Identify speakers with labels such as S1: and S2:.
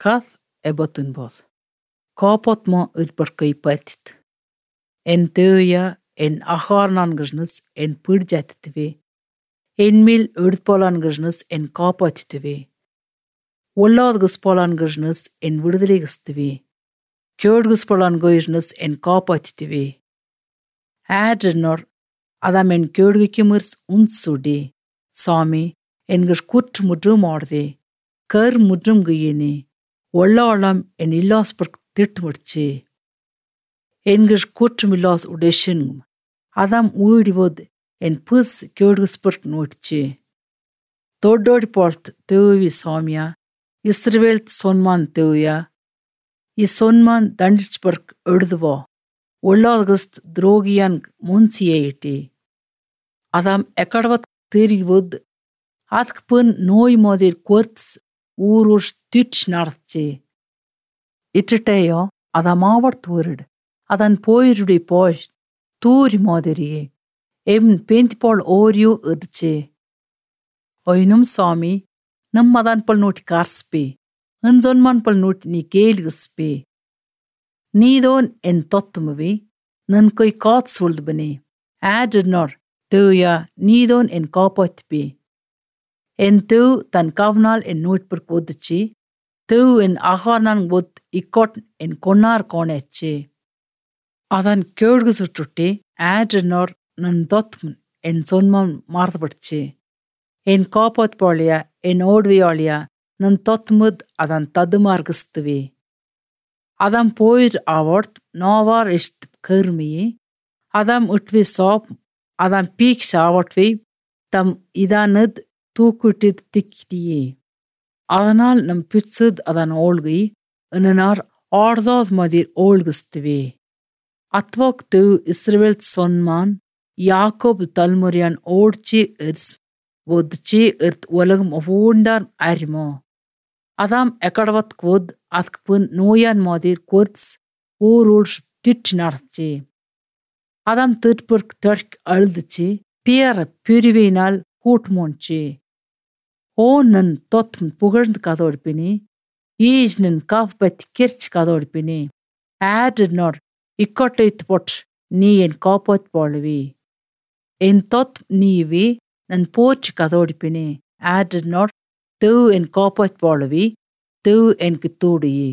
S1: Kath e botunboth. Kaapotmo ylpërkëi pëtit. En tëya en aharnangëjnës en përgjatëtëvi. En mil urdpolangëjnës en kapotëtëvi. Olladgëspolangëjnës en விடுதலைಗಸ್ತಿವಿ. ಕೇಡ್ಗಸ್ಪೊಳನ್ಗೊಯ್ಜ್ನಸ್ en ಕಾಪಾತಿತಿವಿ. ಆಡ್ರನೊರ್ adam en ಕೇಡ್ಗಿಕಿಮರ್ಸ್ ಉನ್ಸುಡಿ. ಸ್ವಾಮಿ ಎನ್ಗಷ್ ಕುಟ್ ಮುಡ್ರು ಮಾಡ್ದೆ. ಕರ್ ಮುಡ್ರುಮ್ಗುಯಿನಿ. ಒಳ್ಳಾಳಂ ಎನ್ ಇಲ್ಲಾಸ್ಪರ್ಕ್ ತಿಟ್ಮುಡ್ಚಿ. ಎನ್ಗಷ್ ಕುಟ್ಮಿಲ್ಲಾಸ್ ಉಡೇಶನ್ adam ಊಡಿವೊದ್ ಎನ್ ಪುಸ್ ಕೇಡ್ಗಸ್ಪರ್ಕ್ ನೋಡ್ಚಿ. ದೊಡ್ಡೋಡಿ ಪೋಳ್ತ್ ತೇವಿ ಸ್ವಾಮಿಯ ಇಸ್ರವೇಲ್ ಸೊನ್ಮಾನ್ ತೇವಿಯ ಈ ಸೊನ್ಮಾನ್ ದಂಡಿಚ್ಬರ್ಕ್ ಎಡ್ದುವೋ ಒಳ್ಳಾದಗಸ್ತ್ ದ್ರೋಗಿಯನ್ ಮುನ್ಸಿಯೇ ಇಟಿ. adam ಎಕಡವತ್ ತಿರಿವೊದ್ ಅದಕ್ ಪುನ್ ನೋಯ್ ಮೋದಿರ್ ಕೊರ್ತ್ಸ್ ಊರುಷ್ ತಿಚ್ ನಡ್ಚಿ. ಇಟ್ಟಟೆಯೋ adam ತೂರಿಡ್ ಅದನ್ ಪೋಯಿರುಡಿ ಪೋಷ್ ತೂರಿ ಮಾದಿರಿಯೇ ಎಮ್ ಪೇಂತಿಪೋಳ್ ಓರಿಯು ಇರ್ಚೆ. ಒಯ್ನುಮ್ ಸ್ವಾಮಿ ನಮ್ ಅದಾನ್ ಪಲ್ ನೋಟಿ ಕಾರ್ಸ್ಪಿ ಅನ್ಸೊನ್ಮಾನ್ ಪಲ್ ನೋಟಿ ನೀ ಕೇಳಿಗಸ್ಪಿ. ನೀದೋನ್ ಎನ್ ತೊತ್ತುಮುವಿ ನನ್ ಕೊಯ್ ಕಾತ್ ಸುಳ್ದು ಬನಿ ಆಡ್ರನೊರ್ ತೇಯ ನೀದೋನ್ ಎನ್ ಕಾಪಾತ್ಪಿ. ಎನ್ ತೇವ್ ತನ್ ಕವ್ನಾಲ್ ಎನ್ ನೋಟ್ಪರ್ಕ್ ಒದ್ದುಚಿ ತೇವ್ ಎನ್ ಆಹಾರ್ನಾನ್ ಒದ್ ಇಕ್ಕೊಟ್ ಎನ್ ಕೊನ್ನಾರ್ ಕೋಣೆಚ್ಚಿ. ಅದನ್ ಕೇಳ್ಗಸುಟ್ಟುಟ್ಟಿ ಆಡ್ರನೊರ್ ನನ್ ದೊತ್ಮನ್ ಎನ್ ಸೊನ್ಮನ್ ಮಾರ್ದಬಡ್ಚಿ. ಎನ್ ಕಾಪಾತ್ಪಾಳಿಯ ಎನ್ ಓಡ್ವಿಯಾಳಿಯ ನನ್ ತೊತ್ಮುದ್ ಅದನ್ ತದುಮಾರ್ಗಸ್ತಿವಿ. adam ಪೋಯಿರ್ ಆವರ್ತ್ ನೋವಾರ್ ಇಷ್ಟ್ ಕರ್ಮಿಯಿ adam ಉಟ್ವಿ ಸಾಪ್ adam peak ಶಾವಟ್ವಿ ತಮ್ ಇದಾನದ್ ತೂಕುಟ್ಟಿದ್ ತಿಕ್ತಿಯೇ. அதனால் நம் பிட்சுத் அதன் ஓல்கி இன்னனார் ஆர்தாத் மதிர் ஓல்குஸ்துவி. அத்வோக் து இஸ்ரவேல் சொன்மான் யாக்கோப் தல்முரியான் ஓಡ್ಚಿ ಇರ್ಸ್ ಒದ್ಚಿ ಇರ್ತ್ ಒಲಗಂ ಒವೂಂಡಾರ್ ಅರಿಮೋ. adam ಎಕಡವತ್ ಕ್ವೊದ್ ಅದಕ್ ಪುನ್ ನೋಯಾನ್ ಮಾದಿರ್ ಕೊರ್ತ್ಸ್ ಊರುಳ್ಷ್ ತಿಟ್ ನಡ್ಚಿ. adam ತಿಟ್ಪುರ್ಕ್ ತರ್ಕ್ ಅಳ್ದುಚಿ ಪಿಯರ ಪಿರಿವಿನಾಲ್ ಕೂಟ್ಮೋಂಚಿ. ಓ ನನ್ ತೊತ್ಮ್ ಪುಗಳ್ದ್ ಕದೋಡ್ಪಿನಿ ಈಜ್ ನನ್ ಕಾಫ್ ಬತ್ ಕಿರ್ಚ್ ಕದೋಡ್ಪಿನಿ. ಆಡ್ರನೊರ್ ಇಕ್ಕೊಟ್ಟೈತ್ ಪೊಟ್ ನೀ ಎನ್ ಕಾಪಾತ್ ಪಾಳುವಿ. ಎನ್ ತೊತ್ ನೀವಿ ನನ್ ಪೋಚ್ ಕದೋಡ್ಪಿನಿ ಆಡ್ರನೊರ್ ತೇವ್ ಎನ್ ಕಾಪಾತ್ ಪಾಳುವಿ ತೇವ್ ಎನ್ಕ್ ತೂಡಿಯಿ.